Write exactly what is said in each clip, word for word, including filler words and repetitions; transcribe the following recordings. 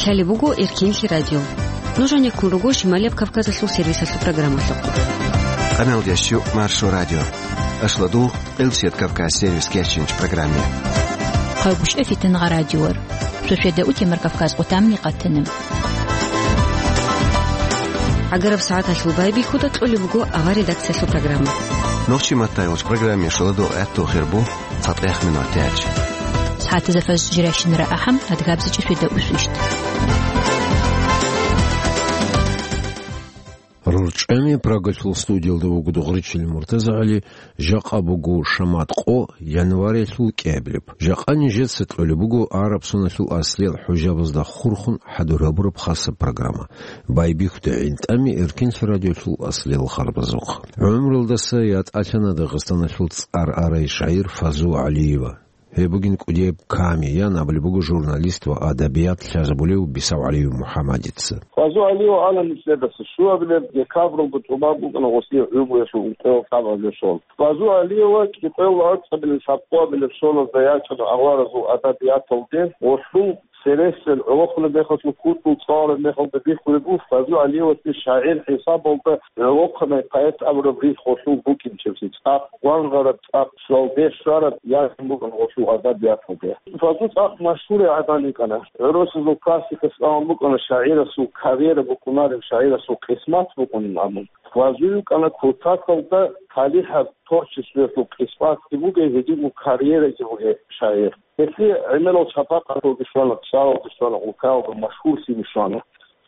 Гьале буго Эркинлъи радио. Нуж гьанеккун руго Шималияб Кавказалъул сервисалъул программалъухъ. Къамел дящу Маршо радио. Ашладул Къилсият Кавказ сервис кечинч программе. Хъайгуща фитнагъа радиор. Сосведа утемар Кавказ къутамни къатана. Агараб сагӀаталъул байбихьуда кьолеб буго авар редакциялъул программа. Нохчи маттайгъуч программе шоладо гӀатту хирбу. ЦатӀех минут яч. СагӀатазда фаз жиращинара ахӀам, адгабзичӀи светда усвищт. РорчӀами Прагалъул студиялда вуго Дугъричил МуртазагӀали, жакъа буго шамат къо, январилъул кӀиабилеб. Жакъа нижеца кьолеб буго араб соналъул аслиял хӀужабазда хурхун хӀадур гьабураб хасаб программа. Байбихьуда гӀинтӀами Эркинлъи радиолъул аслиял харбазухъ. ГӀумруялдаса ятӀалъана Дагъистаналъул цӀар арай шагӀир Фазу ГӀалиева. Гьеб бугин кӀудияб ками, ян абулеб буго журналист ва адабият лъазабулев Бисав ГӀалиев МухӀаммадица. Фазу ГӀалиев ана нилъеда цо щуабилеб декабралда тӀубаб букӀана гъосие гӀумруялъул ункъоялда лъабабилеб соналъ. Фазу ГӀалиева кӀикъоялда арцабилеб лъабкъоабилеб соналда ячӀана аваразул адабияталде, гъолъул Цересел гӀолохъанаб мехалъ, кутӀул цӀалараб мехалда бихьулеб буго, Фазу ГӀалиевасде шагӀир хӀисабалда гӀолохъанай поэт абураб рихь гъолъул букӀинчебси, цӀакъ гвангъараб, цӀакъ щвалде щвараб язбан букӀана гъолъул адабияталде. Фазу цӀакъ машгьурай гӀадан йикӀана. ГӀурусазул классика цӀалун букӀана шагӀирасул карьера букӀунареб, шагӀирасул къисмат букӀунин абун. Фазу йикӀана кутакалда талихӀаб творчествоялъул къисматги бугей, гьединго карьераги бугей шагӀир. Гьелъие гӀемерал шапакъаталги щвана, цӀалалги щвана, улкаялда машгьурлъиги щвана.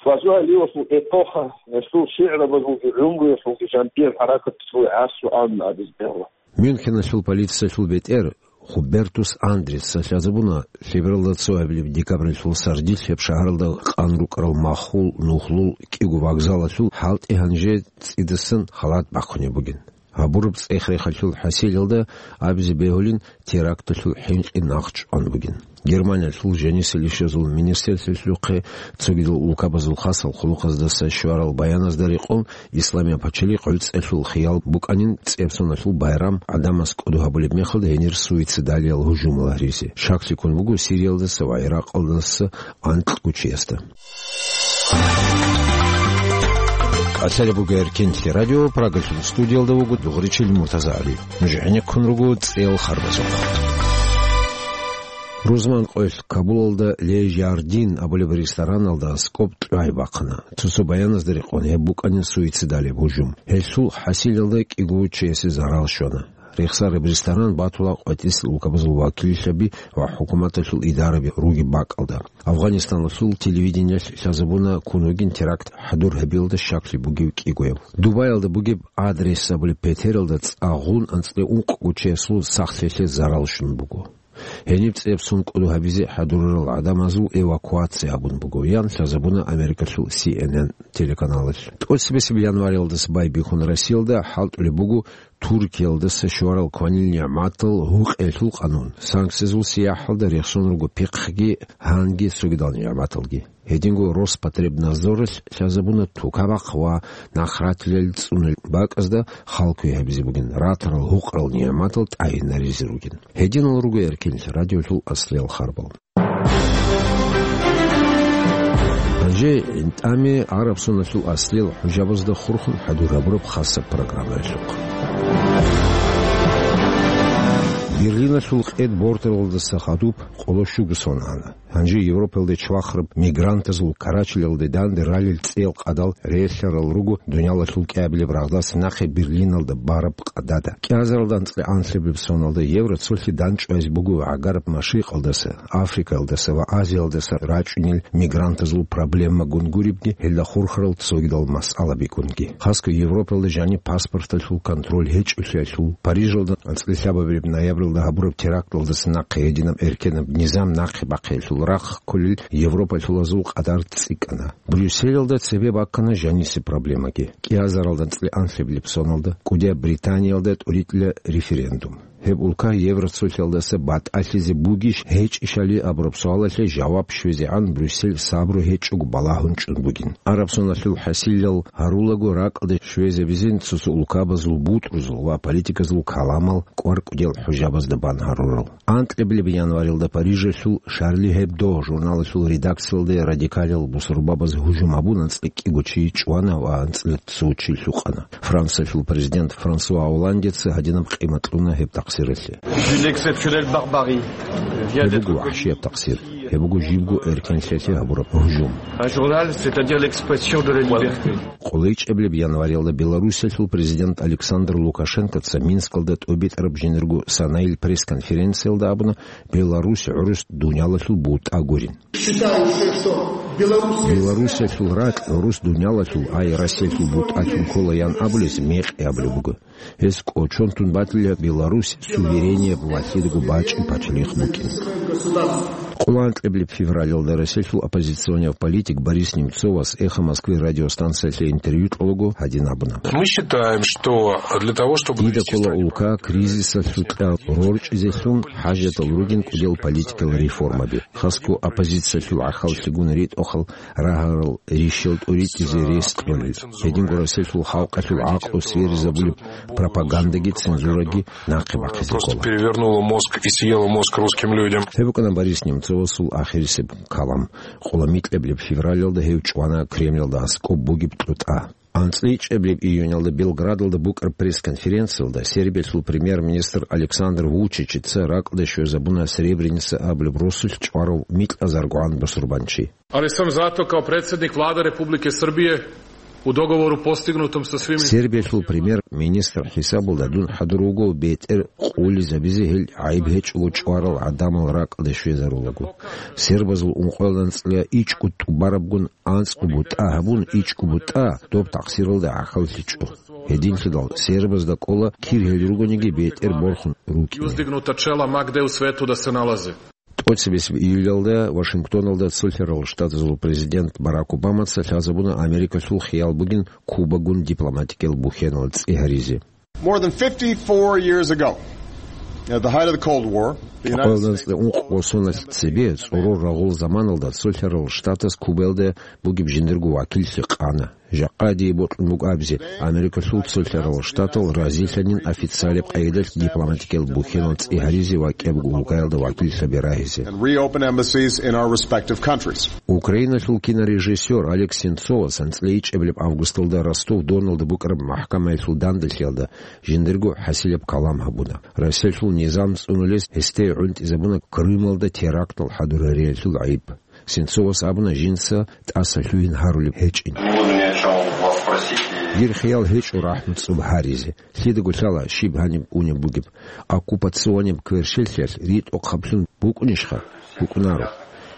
Фазу ГӀалиевасул эпоха, гьелъул шигӀрабазулги гӀумруялъулги жаниб хӀаракат цӀуе гӀасу абун абизе бегьула. Мюнхеналъул полициялъул бетӀер Хубертус Андреца лъазабуна лъебералда цоабилеб декабралъул сардилъ гьеб шагьаралда къан рукӀарал махул нухлул кӀиго вокзалалъул хӀалтӀи гьанже цӀидасан халат бахъунеб бугин. Гьабураб цӀех-рехалъул хӀасилалда абизе бегьулин теракталъул хӀинкъи нахъчӀван бугин. Германиялъул жанисел ишазул министрлъухъе цогидал улкабазул хасал хъулухъаздаса щварал баяназда рекъон, Исламияб пачалихъ гӀуцӀелъул хиял букӀанин цӀебсоналъул байрам гӀадамаз кӀодо гьабулеб мехалда гьенир суицидалиял гьужумал гьаризе. Щаклъи ккун буго Сириялдаса ва ГӀиракъалдаса анкь гучиясда. Кьалъалеб буго Эркинлъи радио, Прагалъул студиялда вуго Дугъричил МуртазагӀали. Нуж гӀенеккун руго цӀел харбазухъ. Рузман къоялъ Кабулалда Ле Жардин абулеб рестораналда аскӀоб кьвай бахъана. Цо-цо баяназда рекъон гьеб букӀанин суицидалеб гьужум. Гьелъул хӀасилалда кӀиго чиясе зарал щвана. Рехсараб ресторан батула къватӀисел улкабазул вакиллъаби ва хӀукуматалъул идараби ругеб бакӀалда. Афгъанистаналъул телевидениялъ лъазабуна ккун вугин теракт хӀадур гьабиялда щаклъи бугев кӀигояв. Дубаялда бугеб Адрес абулеб петералда цӀагъун анцӀила ункъго чиясул сахлъиялъе зарал щун буго. Гьениб цӀебсун кӀодо гьабизе хӀадурарал гӀадамазул эвакуация гьабун буго, ян лъазабуна Америкалъул Си Эн Эн телеканалалъ. ТӀоцебесеб январалдаса байбихьун Россиялда хӀалтӀулеб буго Туркиялдаса щварал кванил нигӀматал гьукъиялъул къанун. Санкциязул сияхӀалда рехсон руго пихъги, гьанги цогидал нигӀматалги. Гьединго Роспотребнадзоралъ лъазабуна тукабахъ ва нахъратилел цӀунулеб бакӀазда хал кквей гьабизе бугин, ратарал гьукъарал нигӀматал тӀагӀинаризе ругин. Гьединал руго Эркинлъи радиолъул аслиял харбал. Гьанже гӀинтӀами гӀараб соналъул аслиял хӀужабазда хурхун хӀадур гьабураб хасаб программаялъухъ. Берлиналъул къед борталалдаса хадуб къоло щуго сон ана. Гьанже Европалде чвахараб мигрантазул карачелалде данде ралел цӀел къадал релълъарал руго дуниялалъул кӀиабилеб рагъдаса нахъе Берлиналда бараб къадада. КӀиазаралда анцӀила анлъабилеб соналда евро цолъи данчӀвазе буго гӀагараб Машрикъалдаса, Африкаялдаса ва Азиялдаса рачӀунел мигрантазул проблемагун гуребги, гьелда хурхарал цогидал масъалабигунги. Хасго Европалда жаниб паспорталъул контроль гьечӀолъиялъул, Парижалда анцӀила лъабабилеб ноябралда гьабураб теракталдаса нахъе гьединаб эркенаб низам нахъе бахъиялъул рахъ кколел европалъулазул къадар цӀикӀкӀана. Брюсселалда цебе баккана жанисе проблемаги. КӀиазаралда анцӀила анлъабилеб соналда кӀудияб Британиялда тӀуритӀила референдум. Гьеб улка Евроцолъиялдаса батӀалъизе бугищ гьечӀищали абураб суалалъе жаваб щвезегӀан Брюссель сабру гьечӀого балагьун чӀун бугин. Араб соналъул хӀасилал гьарулаго ракӀалде щвезабизин цо-цо улкабазул бутӀрузул ва политиказул каламал кӀвар-кӀудиял хӀужабазда бан гьарурал. Анкьабилеб январилда Парижалъул Шарли Гьебдо журналалъул редакциялде радикалил бусурбабаз гьужум гьабун анцӀила кӀиго чи чӀвана ва анцӀила цо чи лъукъана. Франциялъул президент Франсуа Олландеца гьадинаб къимат кьуна гьеб такъсиралъе. D'une exceptionnelle barbarie. Гьеб буго вахӀшияб такъсир. Гьеб буго жибго эркенлъиялъе гьабураб гьужум. Un journal, c'est-à-dire l'expression de la liberté. КъолайчӀебилеб январилда Белоруссиялъул президент Александр Лукашенкоца Минскалда тӀобитӀараб жинерго санайил пресс-конференциялда абуна, Беларусь гӀурус дуниялалъул бутӀа гурин. Считаю, что Беларусь... Белоруссиялъул ракь гӀурус дуниялалъул, ай Россиялъул бутӀалъун кколаян абулес мекъи абулеб буго. Гьес кӀочон тун батила Беларусь суверенияб ва лъидаго бачӀи пачалихъ букӀин. Къоло анкьабилеб февралалда Россиялъул оппозиционияв политик Борис Немцовас «Эхо Москвы» радиостанциялъе интервью кьолаго гьадин абуна. Мы считаем, что для того, чтобы Дида довести ккола страну улка кризисалъукьа рорчӀизелъун хӀажатал ругин кӀудиял политикал реформаби. Хасго оппозициялъул гӀахьаллъигун ритӀухъал рагьарал ришал тӀуритӀизе рес кьолел. Гьединго Россиялъул халкъалъул гӀакълу сверизабулеб пропагандаги цензураги нахъе бахъизе ккола. Перевернула мозг и съела мозг русским людям. Гьеб букӀана Борис Немцовасул ахирисеб калам. Къоло микьабилеб февралалда гьев чӀвана Кремлалда аскӀоб бугеб тӀутӀа. АнцӀила ичӀабилеб июнялда Белградалда букӀараб пресс-конференциялда Сербиялъул премьер-министр Александр Вучичица ракӀалде щвезабуна Сребреница абулеб росулъ чӀварав микьазаргогӀан бусурбанчи. Ali sam zato kao predsjednik Vlade Republike Srbije u dogovoru postignutom sa svim... Сербиялъул премьер-министр хӀисабалда дун хӀадур вуго бетӀер къулизабизе гьел гӀайиб гьечӀого чӀварал гӀадамал ракӀалде щвезарулаго. Сербазул ункъоялда анцӀила ичӀго тӀубарабгун анцӀго бутӀа гьабун, ичӀго бутӀа доб такъсиралда гӀахьаллъичӀо. Гьединлъидал сербазда кӀола кир гьел ругониги бетӀер борхун рукӀине. Uzdignuta čela ma gde u svetu da se nalaze. ТӀоцебесеб июлялда Вашингтоналда Цолъарал Штатазул президент Барак Обамаца лъазабуна Америкалъул хиял бугин Кубагун дипломатикиял бухьенал цӀи гьаризе. More than fifty-four years ago, at the height of the Cold War, the United States... Къоялда анцӀила ункъго соналъ цебе, цӀорор рагъул заманалда Цолъарал Штатас Кубаялда бугеб жиндирго вакиллъи къана. Жакъа дие бокьун буго абизе, Америкалъул Цолъарал Штатал разилъанин официалаб къайдалъ дипломатикиял бухьенал цӀи гьаризе ва кӀиябго улкаялда вакиллъаби рагьизе. And reopen embassies in our respective countries. Украиналъул кинорежиссер Олег Сенцовас анцӀила ичӀабилеб августалда Ростов-Доналда букӀараб махӀкамаялъул данделъиялда жиндирго хӀасилаб калам гьабуна. Россиялъул низам цӀунулес гьесде гӀунтӀизабуна Крымалда терактал хӀадурариялъул гӀайиб. Сенцовас абуна жинца тӀаса лъугьин гьарулеб гьечӀин. Не буду ни о чём вас просить и... Дир хиял гьечӀо рахӀму цӀоб гьаризе. Лъидаго лъала щиб гьаниб унеб бугеб. Оккупационияб кверщелъиялъ ритӀухъаблъун букӀунищха? БукӀунаро.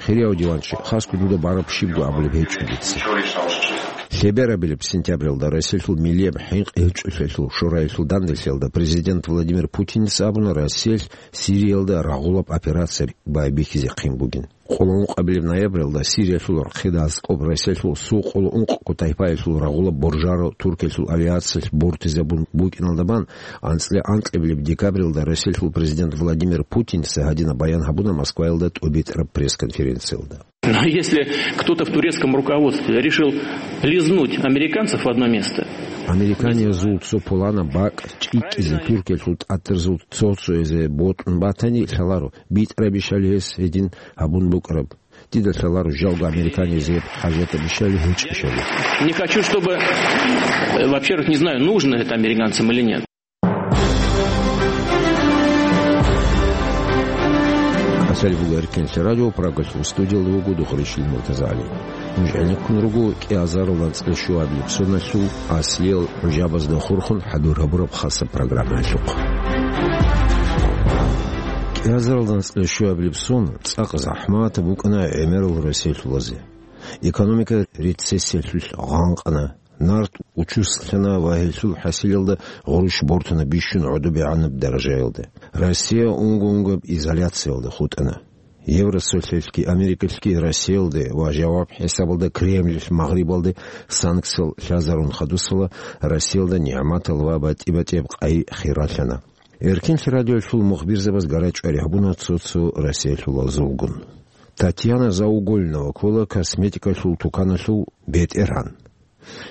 Хирияв диванчи, хасго дуда бараб щибго абулеб гьечӀо дица. Ничего личного, что... Лъеберабилеб сентябралда Россиялъул миллияб хӀинкъи гьечӀолъиялъул шораялъул данделъиялда президент Владимир Путинца абуна Россиялъ Сириялда рагъулаб операция байбихьизе хъин бугин. Къоло ункъабилеб ноябралда Сириялъул рахъида аскӀоб Россиялъул сукъуло ункъго тайпаялъул рагъулаб боржаро Туркиялъул авиациялъ бортизабун букӀиналда бан, анцӀила анкьабилеб декабралда Россиялъул президент Владимир Путинца гьадинаб баян гьабуна Москваялда тӀобитӀараб пресс-конференциялда. Но если кто-то в турецком руководстве решил лизнуть американцев в одно место... Американиязул цо пуланаб бакӀ чӀикӀкӀизе Туркиялъул тӀатарзул цо-цоязе бокьун батани, лъаларо, битӀарабищали гьес гьедин гьабун букӀараб. Дида лъаларо жалго американиязе гьеб хӀажатабищали гьечӀищали. Не хочу, чтобы, э, во-первых, не знаю, нужно это американцам или нет. КӀалъалеб буго Эркенлъи радио, Прагалъул студиялда вуго Духричил МуртазагӀали. Нуж гӀенеккун руго кӀиазарал анцӀила щуабилеб соналъул аслиял гӀужабазда хурхун хӀадур гьабураб хасаб программаялъухъ. КӀиазарал анцӀила щуабилеб сон цӀакъ захӀматаб букӀана гӀемерал Россиялъулазе. Экономика рецессиялъулъ гъанкъана. Нарт учуслъана ва гьелъул хӀасилалда гъурущ бортана бищун гӀодобегӀанаб даражаялда. Россия унго-унгояб изоляциялда хутӀана. Евросоюзалъги Америкалъги Россиялде ва жаваб хӀисабалда Кремль Магърибалде санкциял лъазарун хадусала, Россиялда нигӀматал ва батӀи-батӀияб къай хиралъана. Эркинлъи радиолъул мухбирзабаз гарачӀвари гьабуна цо-цо Россиялъул азулгун. Татьяна Заугольнова ккола косметикалъул туканалъул бетӀергьан.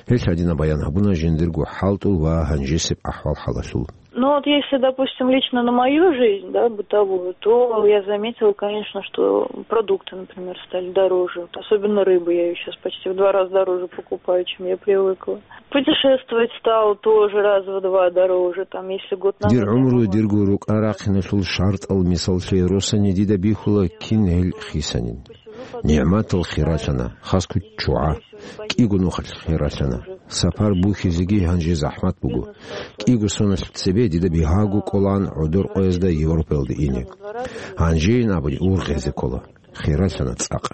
Гьелъ гьадинаб баян гьабуна жиндирго хӀалтӀул ва гьанжесеб ахӀвал-хӀалалъул. Ну вот если, допустим, лично на мою жизнь, да, бытовую, то я заметила, конечно, что продукты, например, стали дороже. Вот особенно рыбу я её сейчас почти в два раза дороже покупаю, чем я привыкла. Путешествовать стало тоже раз в два дороже, там, если год назад Дир я гӀумру могла дирго рукӀа-рахъиналъул шартӀал мисаллъи росани дида бихьула кин гьел хисанин. НигӀматал хиралъана, хасго чугӀа, кӀиго нухалъ хиралъана. Сапар бухьизеги гьанже захӀмат буго. КӀиго соналъ цебе дида бигьаго кӀолаан гӀодор къоязда Европаялде ине. Гьанжейин абуни ургъезе ккола. Хиралъана цӀакъ.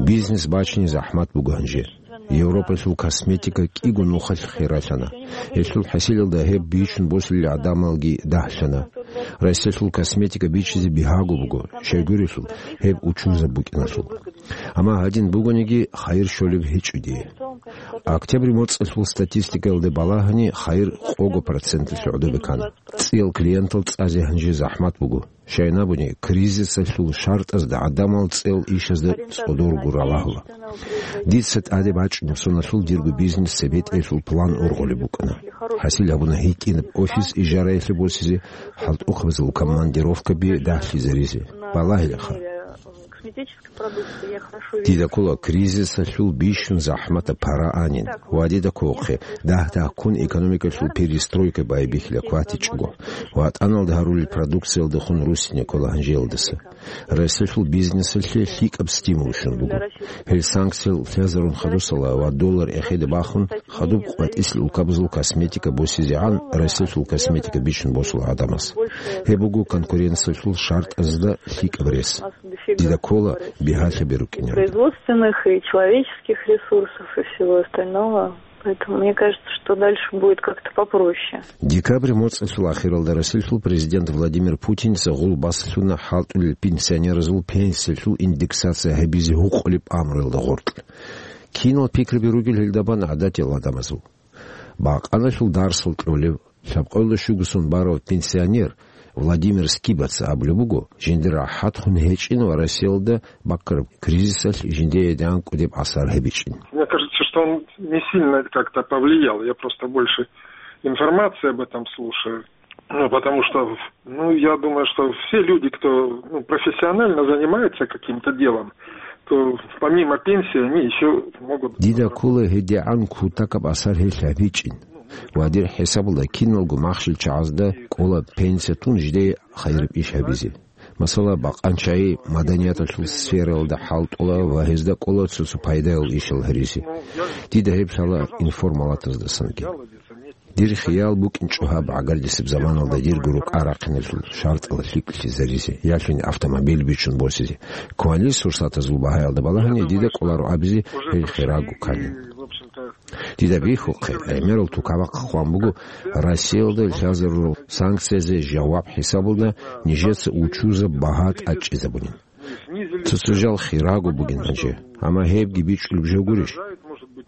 Бизнес бачине захӀмат буго гьанже. Европалъул косметика кӀиго нухалъ хиралъана. Гьелъул хӀасилалда гьеб бичун босулел гӀадамалги дагьлъана. Россиялъул косметика бичизе бигьаго буго, щайгурелъул гьеб учузаб букӀиналъул. Амма гьадин бугониги, хайир щолеб гьечӀо дие. Октябрь моцӀалъул статистикаялда балагьани, хайир къого проценталъе гӀодобе ккана. ЦӀиял клиентал цӀазе гьанже захӀмат буго. Щайин абуни, кризисалъул шартӀазда гӀадамал цӀел ишазда цӀодорго ралагьула. Дица тӀаде бачӀунеб соналъул дирго бизнес цебетӀеялъул план ургъулеб букӀана. ХӀасил гьабуна гьитӀинаб офис ижараялъе босизе, хӀалтӀухъабазул командировкаби дагьлъизаризе. Балагьилаха. Дида ккола кризисалъул бищун захӀматаб пара анин ва дида кколахъе дагь-дагьккун экономикалъул перестройка байбихьила кватичӀого, ватӀаналда гьарулел продукциялдехун руссине ккола гьанжеялдаса. Россиялъул бизнесалъе лъикӀаб стимул щун буго. Гьел санкциял лъазарун хадусала ва доллар эхеде бахун, хадуб къватӀислъи улкабазул косметика босизегӀан Россиялъул косметика бичун босула гӀадамаз. Гьеб буго конкуренциялъул шартӀазда лъикӀаб рес. Дида ккола бигьалъаби рукӀинегӀан. Производственных и человеческих ресурсов и всего остального. Поэтому мне кажется, что дальше будет как-то попроще. Декабрь моцӀалъул ахиралда Россиялъул президент Владимир Путиница гъул баслъуна хӀалтӀулел пенсионеразул пенсиялъул индексация гьабизе гьукъулеб амруялда гъоркь. Кинал пикруби ругел гьелда бан гӀадатиял гӀадамазул? Бакъаналъул дарсал кьолев, лъабкъоялда щуго сон барав пенсионер Владимир Скибаца абулеб буго, жиндир рахӀатхун гьечӀин ва Россиялда баккараб кризисалъ жиндие дагӀан кӀудеб асар гьабичӀин. Мне кажется, что он не сильно как-то повлиял. Я просто больше информации об этом слушаю. Ну, потому что, ну, я думаю, что все люди, кто, ну, профессионально занимается каким-то делом, то помимо пенсии они еще могут... Дида ккола гьедигӀан кутакаб асар гьелъ гьабичӀин. Ва дир хӀисабалда киналго махщел чагӀазда кӀола пенсия тун жидее хайираб иш гьабизе. Масала, бакъанчагӀи маданияталъул сфералда хӀалтӀула ва гьезда кӀола цо-цо пайдаял ишал гьаризе. Дида гьеб лъала информалатаздасанги. Дир хиял букӀинчӀо гьаб гӀагардисеб заманалда дирго рукӀа-рахъиналъул шартӀал лъикӀлъизаризе, ялъуни автомобиль бичун босизе. Кванил сурсатазул багьаялда балагьани дида кӀоларо абизе гьел хирагу ккани. Дида бихьухъе, гӀемерал тукабахъ хъван буго, Россиялда лъазарурал санкциязе жаваб хӀисабалда нижеца учузаб багьа тӀадчӀизабунин. Цо-цо жал хирагу бугин гьанже, амма гьебги бичӀчӀулеб жо гурищ?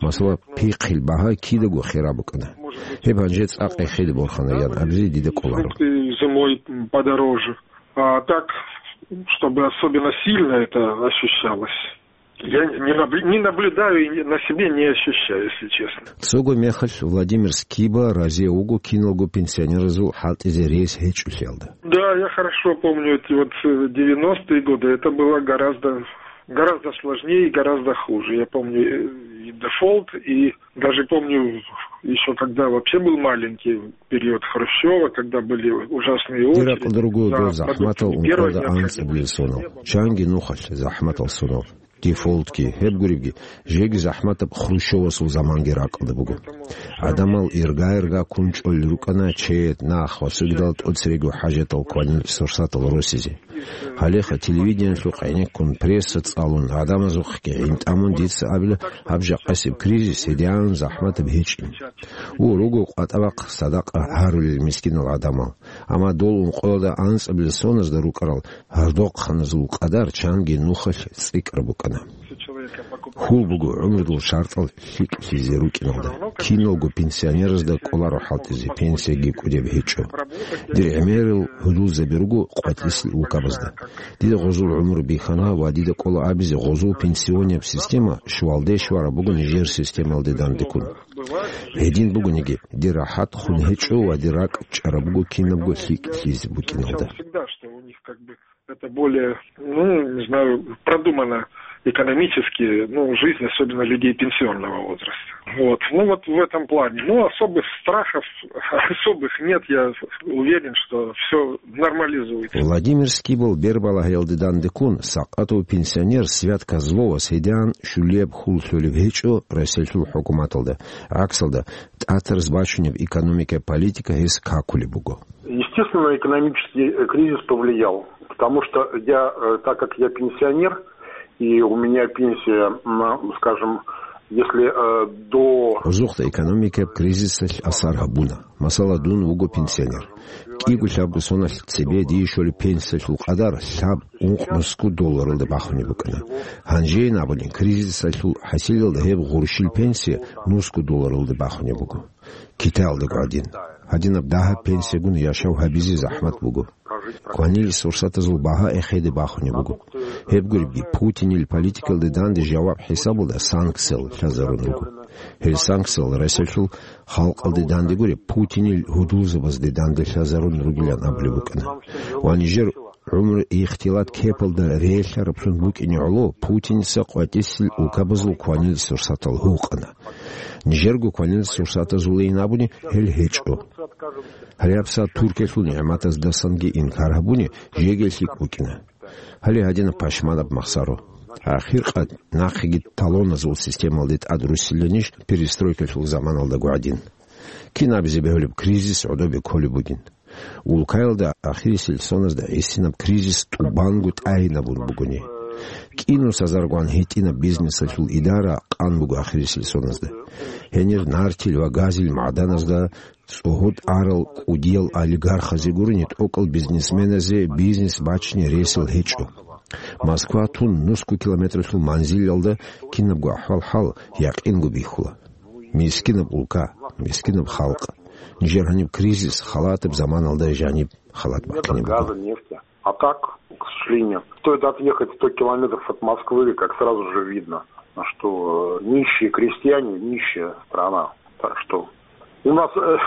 Масала, пихъил багьа кидаго хира букӀана. Гьеб гьанже цӀакъ эхеде борхана ян абизе дида кӀоларо. Зимой подороже. А так, чтобы особенно сильно это ощущалось, я не набл-, не наблюдаю и на себе не ощущаю, если честно. Цого мехалъ Владимир Скиба разие вуго киналго пенсионеразул хӀалтӀизе рес гьечӀолъиялда. Да, я хорошо помню эти вот, э, девяностые годы. Это было гораздо, гораздо сложнее и гораздо хуже. Я помню, э, и дефолт, и даже помню, ещё когда вообще был маленький период Хрущёва, когда были ужасные очереди. Дир ракӀалда руго дол захӀматал ункъоялда анцӀабилеб сонал, чанги нухалъ захӀматал сонал. Дефолтги, гьеб гуребги, жеги захӀматаб Хрущёвасул заманги ракӀалда буго. ГӀадамал ирга-ирга кунчӀолел рукӀана чед, нах ва цогидал тӀоцерего хӀажатал кванил сурсатал росизе. Гьалеха телевидениялъухъ гӀенеккун, пресса цӀалун, гӀадамазухъги гӀин тӀамун дица абила, гьаб жакъасеб кризис гьедигӀан захӀматаб гьечӀин. У, руго къватӀабахъ садакъа гьарулел мискинал гӀадамал. Амма дол ункъоялда анцӀабилеб соназда рукӀарал гьардохъаназул къадар чанги нухалъ цӀикӀкӀараб букӀана. Хьул буго гӀумрудул шартӀал лъикӀлъизе рукӀиналда. Киналго пенсионеразда кӀоларо хӀалтӀизе, пенсияги кӀудеб гьечӀо. Дир гӀемерал гьудулзаби руго къватӀисел улкабазда. Дида гъозул гӀумру бихьана ва дида кӀола абизе, гъозул пенсионеб система щвалде щвараб буго нижер системалде дандеккун. Гьедин бугониги, дир рахӀат хун гьечӀо ва дир ракӀ чӀараб буго кинабго лъикӀлъизе букӀиналда. Это более, ну, не знаю, продумано экономически, ну, жизнь, особенно людей пенсионного возраста. Вот. Ну, вот в этом плане. Ну, особых страхов, особых нет. Я уверен, что всё нормализуется. Владимир Скибл бербалагьиялде дандеккун, сакъатав пенсионер Свят Козловас гьедигӀан щулияб хьул лъолеб гьечӀо Россиялъул хӀукуматалда. ГӀаксалда, тӀатараз бачунеб экономикаяб политика гьес какулеб буго. Естественно, экономический, э, кризис повлиял, потому что я, э, так как я пенсионер, и у меня пенсия, м, скажем, если, э, до Гъозухъа экономикаяб кризисалъ асар гьабуна. Масала, дун вуго пенсионер. КӀиго-лъабго соналъ цебе дие щолеб пенсиялъул къадар лъаб-ункъ-нусго долларалда бахунеб букӀана. Гьанжейин абулин, кризисалъул хӀасилалда гьеб гъурщил пенсия нусго долларалда бахунеб буго. Китаялдаго гӀадин, гьадинаб дагьаб пенсиягун яшав гьабизе захӀмат буго. Кванил сурсатазул багьа эхеде бахунеб буго. Гьеб гуребги, Путинил политикалде данде жаваб хӀисабалда санкциял лъазарун руго. Гьел санкциял Россиялъул халкъалде данде гуреб, Путинил гьудулзабазде данде лъазарун ругилан абулеб букӀана. Ва нижер гӀумру ихтилат кепалда релълъараблъун букӀине гӀоло Путиница къватӀисел улкабазул кванил сурсатал гьукъана. Нижерго кванил сурсатазулейин абуни гьел гьечӀо. Гьале гьабсагӀат Туркиялъул нигӀматаздасанги инкар гьабуни жеги лъикӀ букӀина. Гьале гьадинаб пашманаб махсаро. Ахиркъад нахъеги талоназул системалде тӀад руссиланищ перестройкалъул заманалдаго гӀадин? Кин абизе бегьулеб, кризис гӀодобе кколеб бугин. Улкаялда ахирисел соназда гӀисинаб кризис тӀубанго тӀагӀинабун бугони. КӀинусазаргун гьитӀинаб бизнесалъул идара къан буго ахирисел соназда. Гьенир нартил ва газил магӀданазда цӀогьорт арал кӀудиял олигархазе гурони тӀокӀал бизнесменазе бизнес бачине ресал гьечӀо. Москва тун нусго километралъул манзилалда кинабго ахӀвал-хӀал якъинго бихьула. Мискинаб улка, мискинаб халкъ. Нижер гьаниб кризис халатаб заманалда жаниб халат бахъине буго. Газа, нефти. А так, к сожалению, стоит отъехать сто километров от Москвы, как сразу же видно, что, э, нищие крестьяне, нищая страна. Так что у нас, э,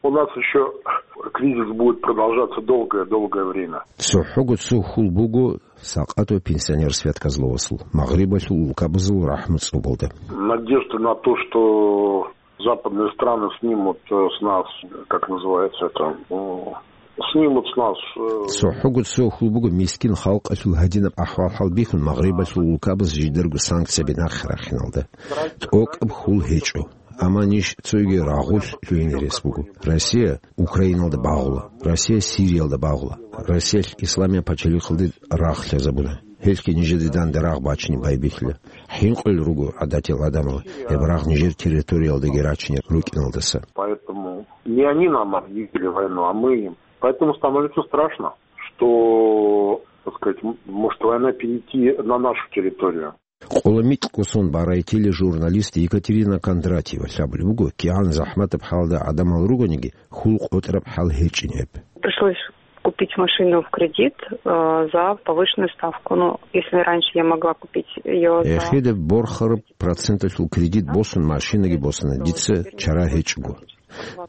у нас ещё кризис будет продолжаться долгое-долгое время. ЦохӀого цо хьул буго сакъатав пенсионер Свят Козловасул, Магърибалъул улкабазул рахӀму цӀобалда. Надежда на то, что западные страны снимут, э, с нас, как называется это, м, снимут с нас, э, ЦохӀого цо хьул буго мискин халкъалъул гьадинаб ахӀвал-хӀал бихьун Магърибалъул улкабаз жидарго санкцияби нахъе рахиналда. ТӀокӀаб хьул гьечӀо. Амма ниж цоги рагъулъ лъугьине рес буго. Россия Украиналда багъула, Россия Сириялда багъула, Россиялъ исламияб пачалихъалде рагъ лъазабуна. Гьелъги нижеде данде рагъ бачине байбихьила. ХӀинкъулел руго гӀадатиял гӀадамал гьеб рагъ нижер территориялдаги рачине рукӀиналдаса. Поэтому не они нам объявили войну, а мы им. Поэтому становится страшно, что, так сказать, м-, может война перейти на нашу территорию. Къоло микьго сон барай тележурналист Екатерина Кондратьева лъабулеб буго, кигӀан захӀматаб хӀалда гӀадамал ругониги, хьул къотӀараб хӀал гьечӀин гьеб. Пришлось купить машину в кредит, э, за повышенную ставку. Ну, если раньше я могла купить её за Эхеде борхараб проценталъул кредит босун машинаги босана, дица чара гьечӀого.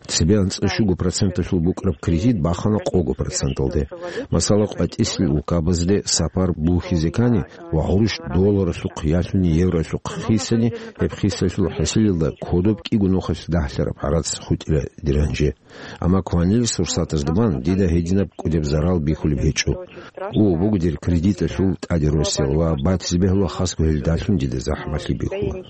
Цебе анцӀа щуго проценталъул букӀараб кредит бахана къого проценталде. Масала, къватӀисел улкабазде сапар бухьизе ккани ва гъурущ долларалъухъ ялъуни евролъухъ хисани, гьеб хисалъул хӀасилалда кодоб кӀиго нухалъ дагьлъараб гӀарац хутӀила дир гьанже. Амма кванил сурсатазда бан дида гьединаб кӀудеб зарал бихьулеб гьечӀо. О, буго дир кредиталъул тӀаде росел ва батизе бегьула хасго гьелдалъун дида захӀмалъи бихьула.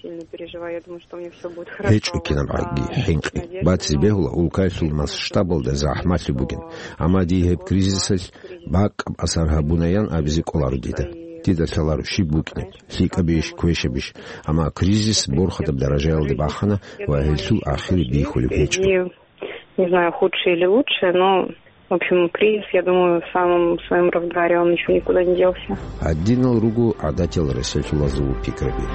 ГьечӀо кинабгӀаги хӀинкъи. Батизе бегьула улкаялъул масштабалда захӀмалъи бугин. Амма дие гьеб кризисалъ бакӀаб асар гьабунаян абизе кӀоларо дида. Дида лъаларо щиб букӀинеб, лъикӀабищ, квешабищ. Амма кризис борхатаб даражаялде бахана ва гьелъул ахири бихьулеб гьечӀо. Не знаю, худшее или лучшее, но, в общем, кризис, я думаю, в самом своём разгаре, он ещё никуда не делся. Гьадинал руго гӀадатиял ресурсалазул пикраби.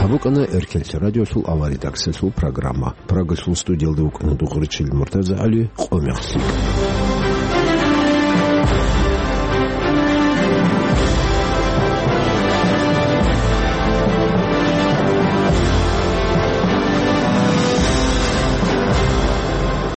Гьаб букӀана Эркенлъи радиолъул авария таксилъул программа. Прагалъул студиялда вукӀана Дугъричил МуртазагӀали, къо мехлъи.